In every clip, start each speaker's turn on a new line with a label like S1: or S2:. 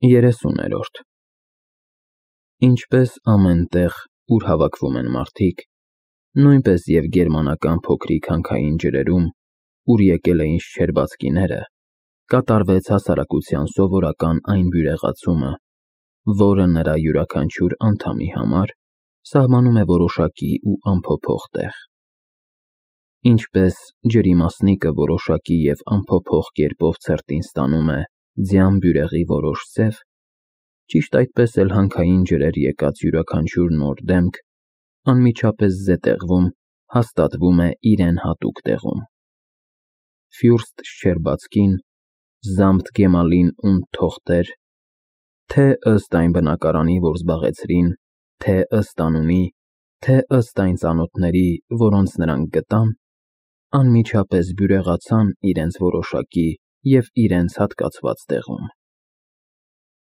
S1: 30-րդ Ինչպես ամեն տեղ, ուր հավաքվում են մարդիկ, նույնպես և գերմանական փոքրիկ հանքային ջրերում, ուր եկել էին շչերբацքիները, կատարվեց հասարակության սովորական այն բյուրեղացումը, որը նրա յուրաքանչյուր անդամի համար սահմանում է որոշակի ու անփոփոխ տեղ։ Ինչպես ջրի մասնիկը որոշակի և անփոփոխ կերպով ցրտին ստանում է ձյան բյուրեղի որոշ ձև, ճիշտ այդպես էլ հանքային ջրեր եկած յուրաքանչյուր նոր դեմք անմիջապես զետեղվում հաստատվում է իրեն հատուկ տեղում։ Ֆյուրստ Շչերբացկին, Զամթ Գեմալին und Թոխտեր, թե ըստ այն բնակարանի, որ զբաղեցրին, թե ըստ անունի, թե ըստ այն ծանոթների, որոնց նրանք գտան, անմիջապես բյուրեղացան իրենց որոշակի և իրենց հատկացված տեղում։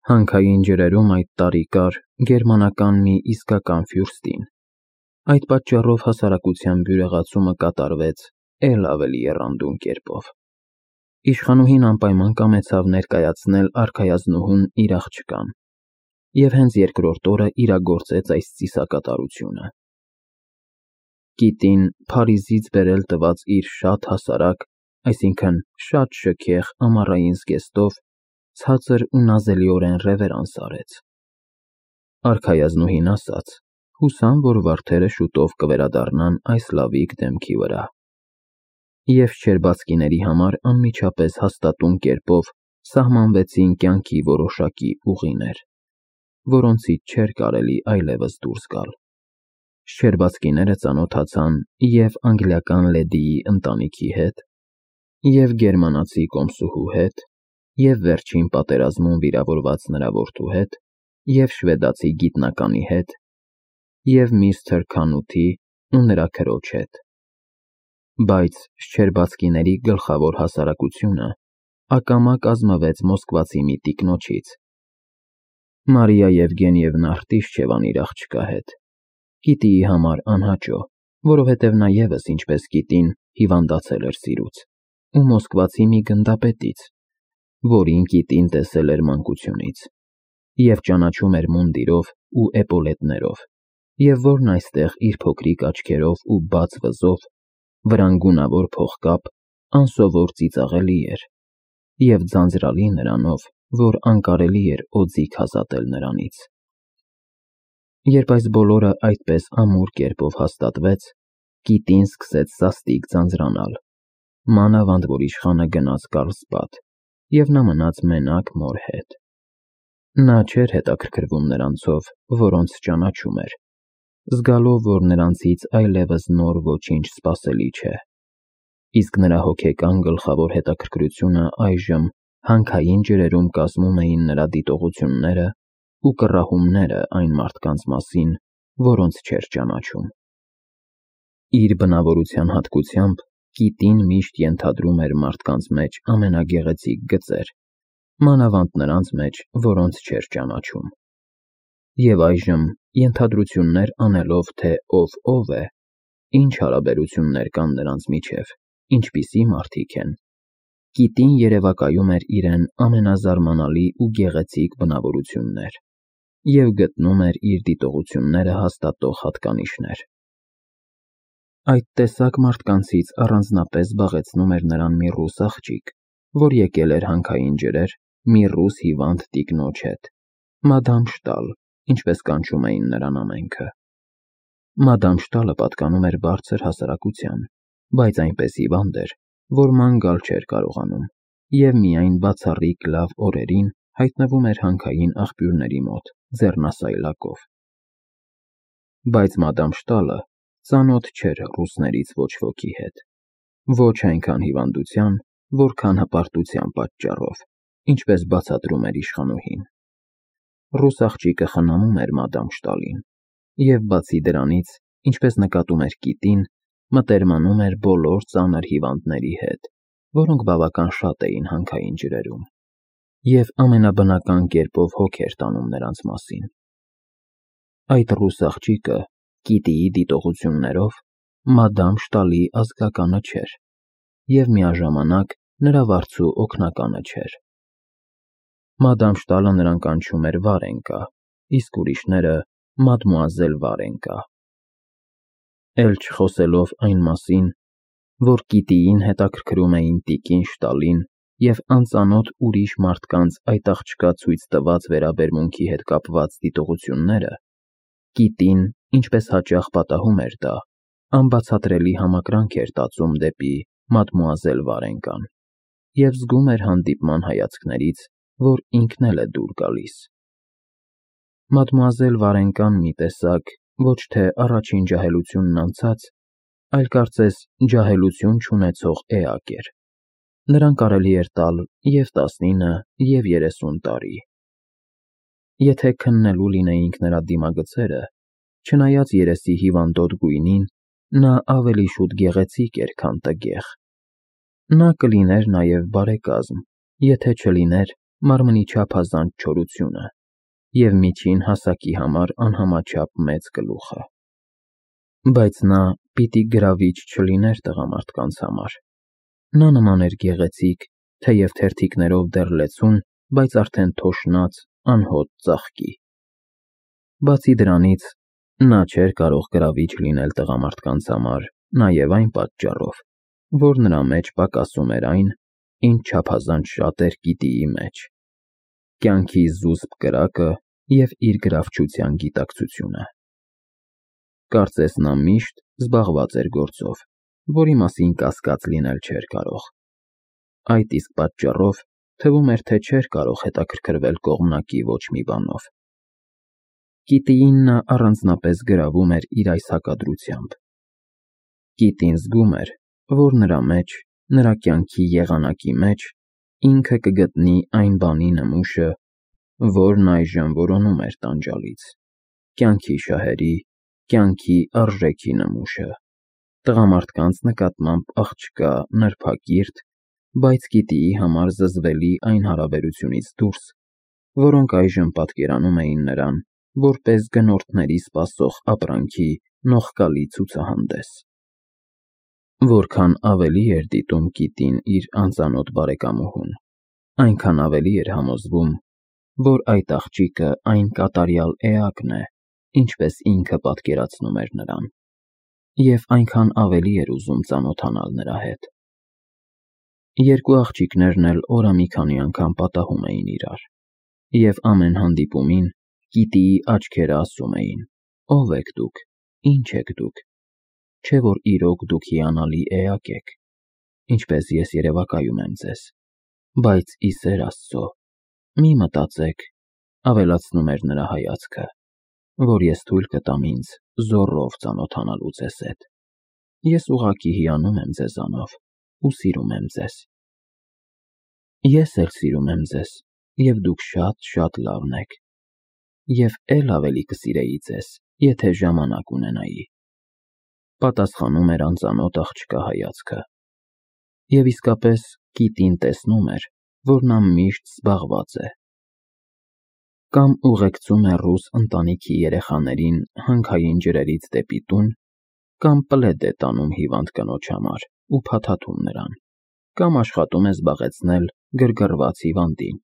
S1: Հանքային ջրերում այդ տարի կար գերմանական մի իսկական ֆյուրստին, այդ պատճառով հասարակության բյուրեղացումը կատարվեց էլ ավելի եռանդուն կերպով։ Իշխանուհին անպայման կամեցավ ներկայացնել արքայազնուհուն իր աղջկան, և հենց երկրորդ օրը իրագործեց այս ծիսակատարությունը։ Կիտին Փարիզից բերել տված իր շատ հասարակ, այսինքն շատ շքեղ ամառային զգեստով ցածր ու նազելիորեն ռևերանս արեց։ Արքայազնուհին ասաց. հուսամ, որ վարդերը շուտով կվերադառնան այս լավիկ դեմքի վրա։ Եվ շչերբацքիների համար անմիջապես հաստատուն կերպով սահմանվեցին կյանքի որոշակի ուղիներ, որոնցից չէր կարելի այլևս դուրս գալ։ Շչերբацքիները ծանոթացան և անգլիական լեդիի ընտանիքի հետ, և գերմանացի կոմսուհու հետ, և վերջին պատերազմում վիրավորված նրա որդու հետ, և շվեդացի գիտնականի հետ, և միստր Քանութի ու նրա քրոջ հետ։ Բայց շչերբацքիների գլխավոր հասարակությունը ակամա կազմվեց մոսկվացի մի տիկնոջից։ Մարիա Եվգենիևնա Ղտիշչևան իր աղջկա հետ, Կիտիի համար անհաճո, որովհետև նա ևս ինչպես Կիտին հիվանդացել էր սիրուց, ու մոսկվացի մի գնդապետից, որին Կիտին տեսել էր մանկությունից, և ճանաչում էր մունդիրով ու էպոլետներով, և որն այստեղ իր փոքրիկ աչքերով ու բաց վզով, վրան փողկապ, անսովոր ծիծաղելի էր, և ձանձրալի նրանով, որ անկարելի էր օձիք ազատել նրանից։ Երբ այս բոլորը այդպես ամուր կերպով հաստատվեց, Կիտին սկսեց սաստիկ ձանձրանալ, մանավանդ որ իշխանը գնաց Կարլսբադ, և նա մնաց մենակ մոր հետ։ Նա չէր հետաքրքրվում նրանցով, որոնց ճանաչում էր, զգալով, որ նրանցից այլևս նոր ոչինչ սպասելի չէ, իսկ նրա հոգեկան գլխավոր հետաքրքրությունը այժմ հանքային ջրերում կազմում էին նրա դիտողությունները ու կռահումները այն մարդկանց մասին, որոնց չէր ճանաչում։ Իր բնավորության հատկությամբ Կիտին միշտ ենթադրում էր մարդկանց մեջ ամենագեղեցիկ գծեր, մանավանդ նրանց մեջ, որոնց չէր ճանաչում։ Եվ այժմ, ենթադրություններ անելով, թե ով է, ինչ հարաբերություններ կան նրանց միջև, ինչպիսի մարդիկ են, Կիտին երևակայում էր իրեն ամենազարմանալի ու գեղեցիկ բնավորություններ և գտնում էր իր դիտողությունները հաստատող հատկանիշներ։ Այդ տեսակ մարդկանցից առանձնապես զբաղեցնում էր նրան մի ռուս աղջիկ, որ եկել էր հանքային ջրեր մի ռուս հիվանդ տիկնոջ հետ, մադամ Շտալ, ինչպես կանչում էին նրան ամենքը։ Մադամ Շտալը պատկանում էր բարձր հասարակության, բայց այնպես հիվանդ էր, որ ման գալ չէր կարողանում, և միայն բացառիկ լավ օրերին հայտնվում էր հանքային աղբյուրների մոտ ձեռնասայլակով։ Բայց մադամ Շտալը ծանոթ չէր ռուսներից ոչ ոքի հետ, ոչ այնքան հիվանդության, որքան հպարտության պատճառով, ինչպես բացատրում էր իշխանուհին։ Ռուս աղջիկը խնամում էր մադամ Շտալին, և բացի դրանից, ինչպես նկատում էր Կիտին, մտերմանում էր բոլոր ծանր հիվանդների հետ, որոնք բավական շատ էին հանքային ջրերում, և ամենաբնական կերպով հոգ էր տանում նրանց մասին։ Այդ ռուս աղջիկը, Կիտիի դիտողություններով, մադամ Շտալի ազգականը չէր, և միաժամանակ նրա վարձու օգնականը չէր։ Մադամ Շտալը նրան կանչում էր Վարենկա, իսկ ուրիշները մադմուազել Վարենկա։ Էլ չխոսելով այն մասին, որ Կիտիին հետաքրքրում էին տիկին Շտալին և անծանոթ ուրիշ մարդկանց այդ աղջկա ցույց տված վերաբերմունքի հետ կապված դիտողությունները, Կիտին, ինչպես հաճախ պատահում էր դա, անբացատրելի համակրանք էր տածում դեպի մադմուազել Վարենկան և զգում էր հանդիպման հայացքներից, որ ինքն էլ է դուր գալիս։ Մադմուազել Վարենկան մի տեսակ ոչ թե առաջին ջահելությունն անցած, այլ կարծես ջահելություն չունեցող էակ էր։ Նրան կարելի էր տալ և 19, և 30 տարի։ Եթե քննելու լինեինք նրա դիմագծերը, չնայած երեսի հիվանդոտ գույնին, նա ավելի շուտ գեղեցիկ էր, քան տգեղ։ Նա կլիներ նաև բարեկազմ, եթե չլիներ մարմնի չափազանց չորությունը և միջին հասակի համար անհամաչափ մեծ գլուխը։ Բայց նա պիտի գրավիչ չլիներ տղամարդկանց համար։ Նա նման էր գեղեցիկ, թեև թերթիկներով դեռ լեցուն, բայց արդեն թոշնած, անհոտ ծաղկի։ Բացի դրանից, նա չէր կարող գրավիչ լինել տղամարդկանց համար նաև այն պատճառով, որ նրա մեջ պակասում էր այն, ինչ չափազանց շատ էր Կիտիի մեջ՝ կյանքի զուսպ կրակը և իր գրավչության գիտակցությունը։ Կարծես նա միշտ զբաղված էր գործով, որի մասին կասկած լինել չէր կարող։ Այդ իսկ պատճառով թվում էր, թե չէր կարող հետաքրքրվել կողմնակի ոչ մի բանով։ Կիտիին նա առանձնապես գրավում էր իր այս հակադրությամբ։ Կիտին զգում էր, որ նրա մեջ, նրա կյանքի եղանակի մեջ ինքը կգտնի այն բանի նմուշը, որն այժմ որոնում էր տանջալից, կյանքի շահերի, կյանքի արժեքի նմուշը, տղամարդկանց նկատմամբ աղջկա, նրբակիրթ, բայց Կիտիի համար զզվելի այն հարաբերությունից դուրս, որոնք այժմ պատկերանում էին նրան որպես գնորդների սպասող ապրանքի նողկալի ցուցահանդես։ Որքան ավելի էր դիտում Կիտին իր անծանոթ բարեկամուհուն, այնքան ավելի էր համոզվում, որ այդ աղջիկը այն կատարյալ էակն է, ինչպես ինքը պատկերացնում էր նրան, և այնքան ավելի էր ուզում ծանոթանալ նրա հետ։ Երկու աղջիկներն էլ օրը մի քանի անգամ պատահում էին իրար, և ամեն հանդիպումին Կիտիի աչքերը ասում էին. «Ո՞վ եք դուք, ի՞նչ եք դուք, չէ՞ որ իրոք դուք հիանալի էակ եք, ինչպես ես երևակայում եմ ձեզ, բայց ի սեր Աստծո, մի մտածեք», ավելացնում էր նրա հայացքը, «որ ես թույլ կտամ ինձ զոռով ծանոթանալու ձեզ հետ։ Ես ուղղակի հիանում եմ ձեզանով ու սիրում եմ ձեզ։ Ես էլ սիրում եմ ձեզ, և դուք շատ լավն եք, և էլ ավելի կսիրեի ձեզ, եթե ժամանակ ունենայի», պատասխանում էր անծանոթ աղջկա հայացքը։ Եվ իսկապես Կիտին տեսնում էր, որ նա միշտ զբաղված է։ Կամ ուղեկցում է ռուս ընտանիքի երեխաներին հանքային ջրերից դեպի տուն, կամ պլեդ է տանում հիվանդ կնոջ համար ու փաթաթում նրան, կամ աշխատում է զբաղեցնել գրգռված հիվանդին,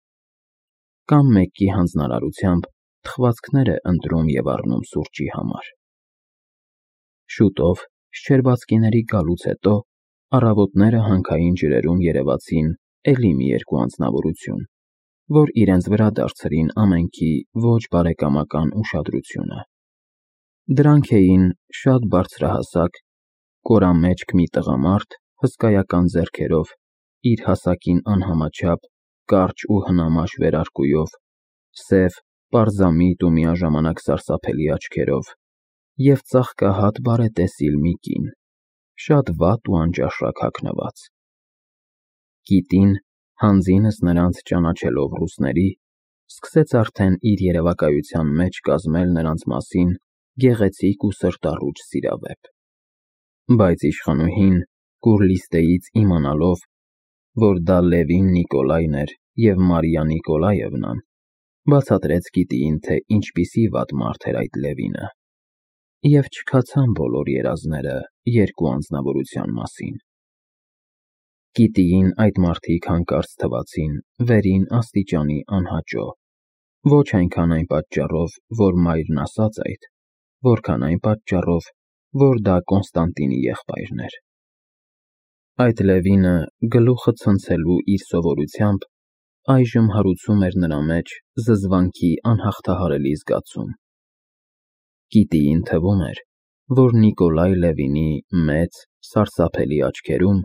S1: կամ մեկի հանձնարարությամբ թխվածքներ է ընտրում և առնում սուրճի համար։ Շուտով, շչերբացկիների գալուց հետո, առավոտները հանքային ջրերում երևացին էլի մի երկու անձնավորություն, որ իրենց վրա դարձրին ամենքի ոչ բարեկամական ուշադրությունը։ Դրանք էին շատ բարձրահասակ, կորամեջք մի տղամարդ հսկայական ձեռքերով, իր հասակին անհամաչափ կարճ ու հնամաշ վերարկուով, սև, պարզամիտ ու միաժամանակ սարսափելի աչքերով, և ծաղկահատ բարետեսիլ մի կին, շատ վատ ու անճաշակ հագնված։ Կիտին, հանձինս նրանց ճանաչելով ռուսների, սկսեց արդեն իր երևակայության մեջ կազմել նրանց մասին գեղեցիկ ու սրտառուչ սիրավեպ։ Բայց իշխանուհին, Կուրլիստեից իմանալով, որ դա Լևին Նիկոլայն էր և Մարիա Նիկոլաևնան, բացատրեց Կիտիին, թե ինչպիսի վատ մարդ էր այդ Լևինը, և չքացան բոլոր երազները երկու անձնավորության մասին։ Կիտիին այդ մարդիկ հանկարծ թվացին վերին աստիճանի անհաճո, ոչ այնքան այն պատճառով, որ մայրն ասաց այդ, որքան այն պատճառով, որ դա Կոնստանտինի եղբայրն էր։ Այդ Լևինը, գլուխը ցնցելու իր սովորությամբ, այժմ հարուցում էր նրա մեջ զզվանքի անհաղթահարելի զգացում։ Կիտիին թվում էր, որ Նիկոլայ Լևինի մեծ, սարսափելի աչքերում,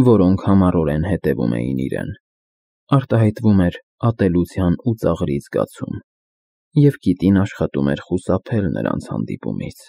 S1: որոնք համառորեն հետևում էին իրեն, արտահայտվում էր ատելության ու ծաղրի զգացում, և կիտին աշխատում էր խուսափել նրանց հանդիպումից։